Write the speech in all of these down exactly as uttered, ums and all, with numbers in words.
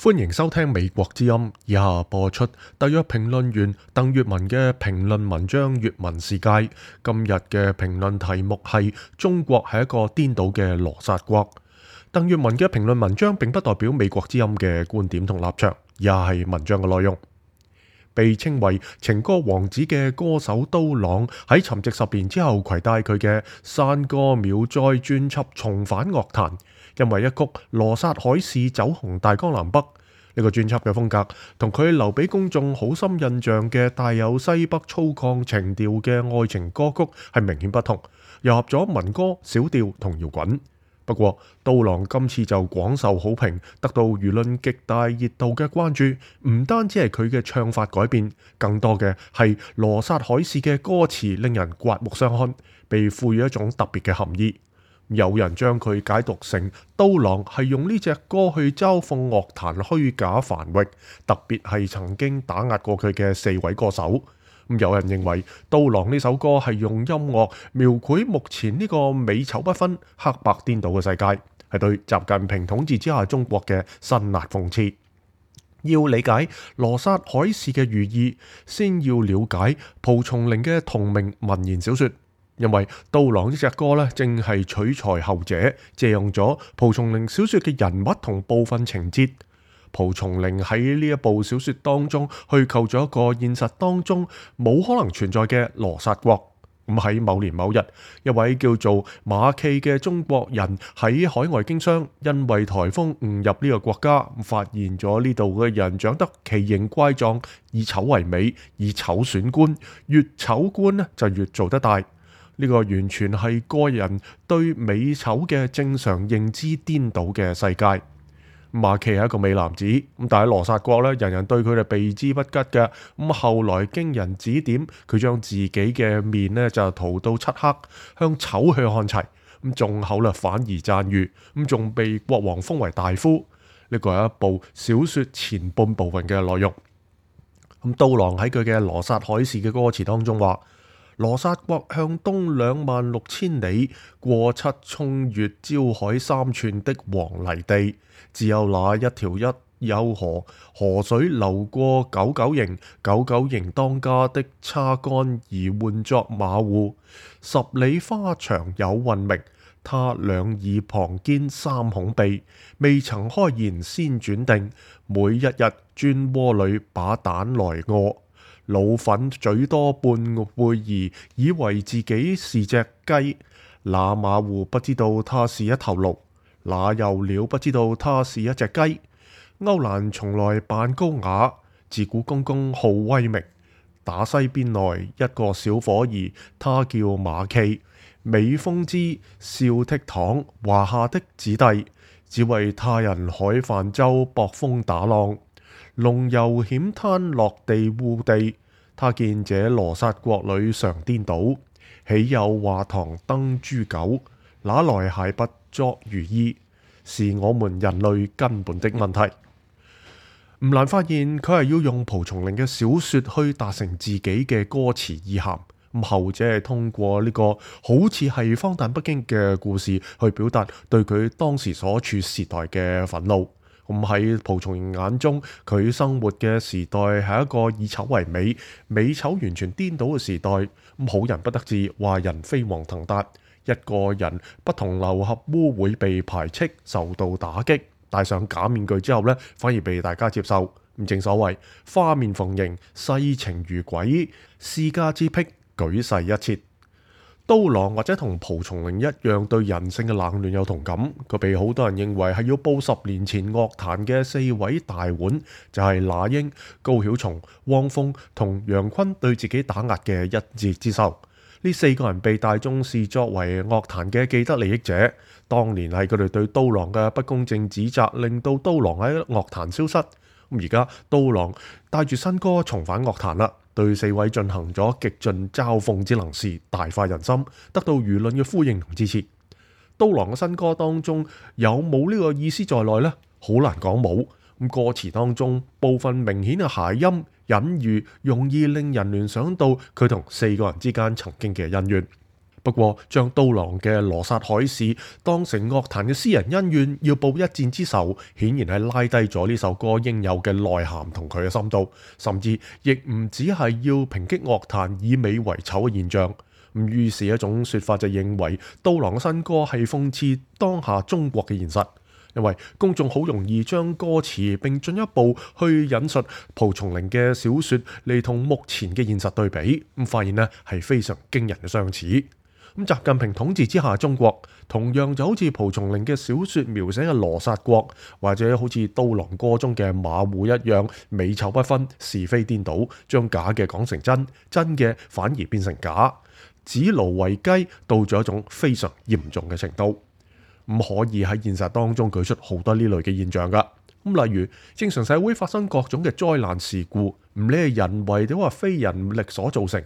歡迎收聽美國之音，以下播出特約評論員鄧粵文嘅評論文章《粵文世界》。今日嘅評論題目係中國係一個顛倒嘅羅剎國。鄧粵文嘅評論文章並不代表美國之音嘅觀點同立場，也係文章嘅內容。被稱為情歌王子嘅歌手刀郎喺沉寂十年之後攜帶佢嘅山歌秒災專輯重返樂壇，因為一曲羅剎海市走紅大江南北。呢個專輯嘅風格同佢留俾公眾好深印象嘅帶有西北粗獷情調嘅愛情歌曲係明顯不同，糅合咗民歌、小調同搖滾。不過刀郎今次就廣受好評，得到輿論極大熱度嘅關注。唔單止係佢嘅唱法改變，更多嘅係羅剎海市嘅歌詞令人刮目相看，被賦予一種特別嘅含義。有人將佢解讀成刀郎係用呢隻歌去嘲諷樂壇虛假繁榮，特別係曾經打壓過佢嘅四位歌手。有人認為刀郎呢首歌係用音樂描繪目前呢個美醜不分、黑白顛倒嘅世界，係對習近平統治之下中國嘅辛辣諷刺。要理解羅剎海市嘅寓意，先要了解蒲松齡嘅同名文言小說。因為刀郎呢隻歌咧，正係取材後者，借用咗蒲松齡小說嘅人物同部分情節。蒲松齡喺呢一部小說當中虛構咗一個現實當中冇可能存在嘅羅剎國。咁喺某年某日，一位叫做馬驥嘅中國人喺海外經商，因為颱風誤入呢個國家，發現咗呢度嘅人長得奇形怪狀，以醜為美，以醜選官，越醜官呢就越做得大。呢個完全係個人對美醜嘅正常認知顛倒嘅世界。馬驥係一個美男子，咁但係羅剎國咧，人人對佢哋避之不及嘅。咁後來經人指點，佢將自己嘅面咧就塗到漆黑，向醜去看齊。咁眾口咧反而讚譽，咁仲被國王封為大夫。呢個係一部小說前半部分嘅內容。咁刀郎喺佢嘅羅剎海市嘅歌詞當中話：羅剎國向東兩萬六千里，過七衝越焦海三寸的黃泥地，只有那一條一丘河，河水流過九九營，九九營當家的叉杆而換作馬戶，十里花場有運明，他兩耳旁堅三孔鼻，未曾開言先轉定，每一日鑽窩裏把蛋來餓。老粉嘴多半會兒，以為自己是隻雞。那馬戶不知道他是一頭驢，那又鳥不知道他是一隻雞。歐蘭從來扮高雅，自古公公好威名。打西邊來一個小伙兒，他叫馬驥，美風姿，笑倜儻，華夏的子弟，只為他人海泛舟搏風打浪。龍遊險灘落地烏地，他見這羅剎國裏常顛倒，豈有華堂登豬狗，哪來鞋不作如衣？是我們人類根本的問題。唔難發現佢係要用蒲松齡嘅小說去達成自己嘅歌詞意涵。咁後者係通過呢個好似係荒誕北京嘅故事去表達對佢當時所處時代嘅憤怒。咁喺蒲松齡眼中，佢生活嘅時代係一個以醜為美、美醜完全顛倒嘅時代。咁好人不得志，壞人飛黃騰達。一個人不同流合污會被排斥、受到打擊，戴上假面具之後呢，反而被大家接受。咁正所謂花面逢迎，世情如鬼，私家之癖，舉世一切。刀郎或者同蒲松齡一樣對人性嘅冷暖有同感，佢被好多人認為係要報十年前樂壇嘅四位大腕，就係那英、高曉松、汪峰同楊坤對自己打壓嘅一箭之仇。呢四個人被大眾視作為樂壇嘅既得利益者，當年係佢哋對刀郎嘅不公正指責，令到刀郎喺樂壇消失。咁而家刀郎帶住新歌重返樂壇啦，對四位進行咗極盡嘲諷之能事，大快人心，得到輿論嘅呼應同支持。刀郎嘅新歌當中有冇呢個意思在內呢？好難講冇。咁歌詞當中部分明顯嘅諧音隱喻，容易令人聯想到佢同四個人之間曾經嘅恩怨。不過將刀郎嘅羅剎海市當成樂壇嘅私人恩怨，要報一戰之仇，顯然係拉低咗呢首歌應有嘅內涵同佢嘅深度，甚至亦唔只係要抨擊樂壇以美為醜嘅現象。咁於是一種說法就認為刀郎嘅新歌係諷刺當下中國嘅現實，因為公眾好容易將歌詞並進一步去引述蒲松齡嘅小說嚟同目前嘅現實對比，咁發現呢係非常驚人嘅相似。咁習近平統治之下中國同樣就好似蒲松齡嘅小說描寫嘅羅剎國，或者好似刀郎歌中嘅馬戶一樣，美醜不分，是非顛倒，將假嘅講成真，真嘅反而變成假，指奴為雞，到咗一種非常嚴重嘅程度。唔可以喺現實當中舉出好多呢類嘅現象噶。咁例如正常社會發生各種嘅災難事故，唔理係人為定話非人力所造成，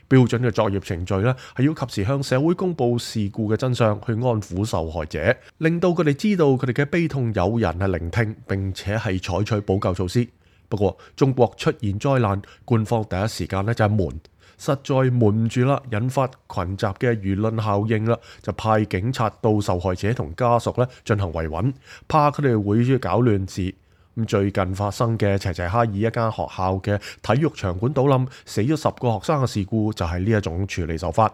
標準嘅作業程序呢係要及時向社會公布事故嘅真相，去安撫受害者，令到佢哋知道佢哋嘅悲痛有人係聆聽，並且係採取補救措施。不過中國出現災難，官方第一時間呢就係瞞。實在瞞唔住啦，引發群集嘅輿論效應啦，就派警察到受害者同家屬咧進行維穩，怕佢哋會搞亂事。咁最近發生嘅齊齊哈爾一間學校嘅體育場館倒冧，死咗十個學生嘅事故，就係呢一種處理手法。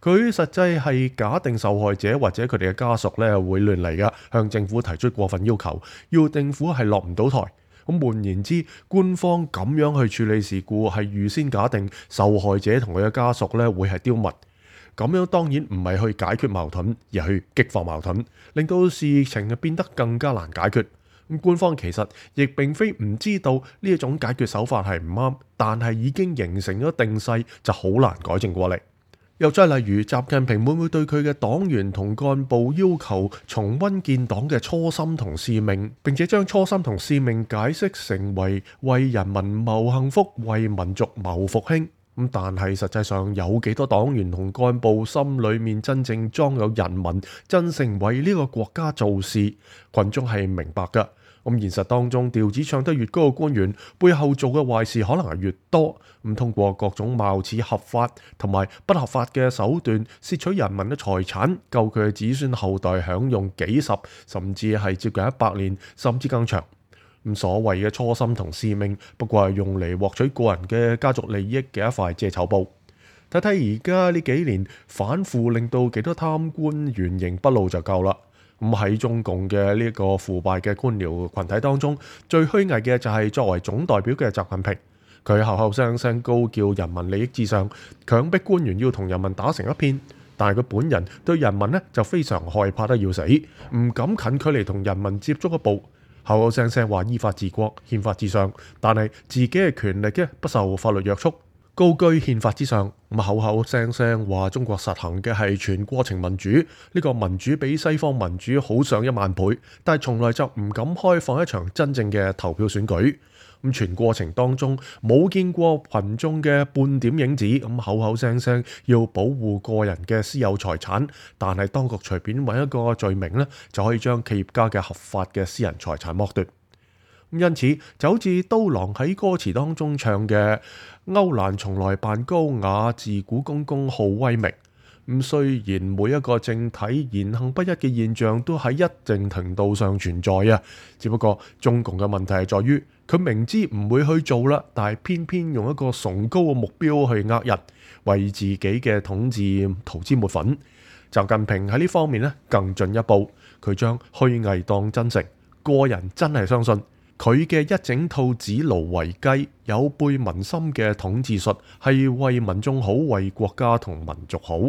佢實際係假定受害者或者佢哋嘅家屬咧會亂嚟噶，向政府提出過分要求，要政府係落唔到台。咁換言之，官方咁樣去處理事故係預先假定受害者同佢嘅家屬咧會係刁民，咁樣當然唔係去解決矛盾，而係去激化矛盾，令到事情變得更加難解決。咁官方其實亦並非唔知道呢一種解決手法係唔啱，但係已經形成咗定勢，就好難改正過嚟。又再例如，習近平會唔會對佢嘅黨員同幹部要求重溫建黨嘅初心同使命，並且將初心同使命解釋成為為人民謀幸福、為民族謀復興？咁但係實際上有幾多黨員同幹部心裏面真正裝有人民，真誠為呢個國家做事？群眾係明白㗎。咁現實當中，調子唱得越高嘅官員，背後做嘅壞事可能係越多。咁通過各種貌似合法同埋不合法嘅手段，竊取人民嘅財產，夠佢嘅子孫後代享用幾十甚至係接近一百年，甚至更長。咁所謂嘅初心同使命，不過係用嚟獲取個人嘅家族利益嘅一塊遮醜布。睇睇而家呢幾年反腐，令到幾多貪官原形不露就夠啦。咁喺中共嘅呢個腐敗嘅官僚群體當中，最虛偽嘅就係作為總代表嘅習近平，佢口口聲聲高叫人民利益至上，強迫官員要同人民打成一片，但係佢本人對人民呢就非常害怕得要死，唔敢近距離同人民接觸一步，口口聲聲話依法治國、憲法至上，但係自己嘅權力嘅不受法律約束，高居憲法之上，咁口口聲聲話中國實行嘅係全過程民主，呢個民主比西方民主好上一萬倍，但係從來就唔敢開放一場真正嘅投票選舉。咁全過程當中冇見過群眾嘅半點影子，咁口口聲聲要保護個人嘅私有財產，但係當局隨便揾一個罪名呢，就可以將企業家嘅合法嘅私人財產剝奪。因此就好似刀郎喺歌詞當中唱嘅歐蘭從來扮高雅，自古公公好威名。咁雖然每一個政體言行不一嘅現象都喺一定程度上存在啊，只不過中共嘅問題係在於佢明知唔會去做啦，但係偏偏用一個崇高嘅目標去呃人，為自己嘅統治塗脂抹粉。習近平喺呢方面呢更進一步，佢將虛偽當真誠，個人真係相信佢嘅一整套指奴為雞、有悖民心嘅統治術係為民眾好、為國家同民族好。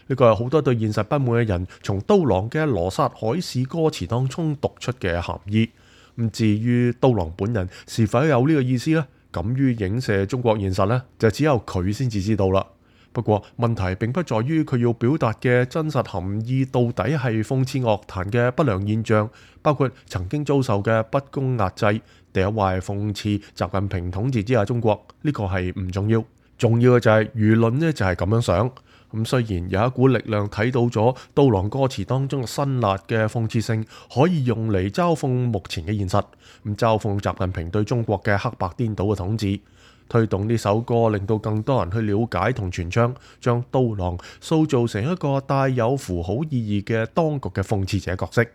呢個係好多對現實不滿嘅人從刀郎嘅羅剎海市歌詞當中讀出嘅含義。咁至於刀郎本人是否有呢個意思呢？敢於影射中國現實呢，就只有佢先至知道啦。不過問題並不在於佢要表達嘅真實含義到底係諷刺樂壇嘅不良現象，包括曾經遭受嘅不公壓制，定係話係諷刺習近平統治之下中國，呢個係唔重要。重要嘅就係輿論呢就係咁樣想。咁雖然有一股力量睇到咗刀郎歌詞當中嘅辛辣嘅諷刺性，可以用嚟嘲諷目前嘅現實，咁嘲諷習近平對中國嘅黑白顛倒嘅統治。推動呢首歌，令到更多人去了解同傳唱，將刀郎塑造成一個帶有符號意義嘅當局嘅諷刺者角色。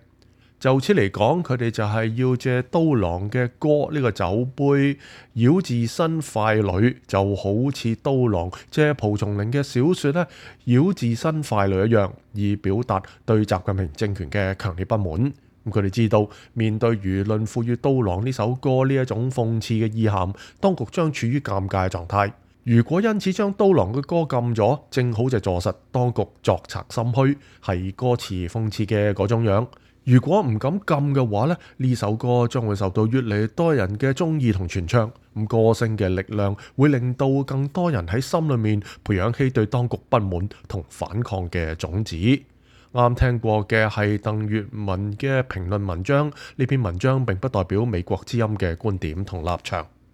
就此嚟講，佢哋就係要借刀郎嘅歌呢個酒杯繞自身傀儡，就好似刀郎借蒲松齡嘅小說呢繞自身傀儡一樣，以表達對習近平政權嘅強烈不滿。咁佢哋知道面對輿論賦予刀郎呢首歌呢一種諷刺嘅意涵，當局將處於尷尬嘅狀態。如果因此將刀郎嘅歌禁咗，正好就坐實當局作賊心虛，係歌詞諷刺嘅嗰種樣。如果唔敢禁嘅話咧，呢首歌將會受到越嚟越多人嘅中意同傳唱。咁歌聲嘅力量會令到更多人喺心裏面培養起對當局不滿同反抗嘅種子。啱聽過嘅係鄧粵文嘅評論文章，呢篇文章並不代表美國之音嘅觀點同立場。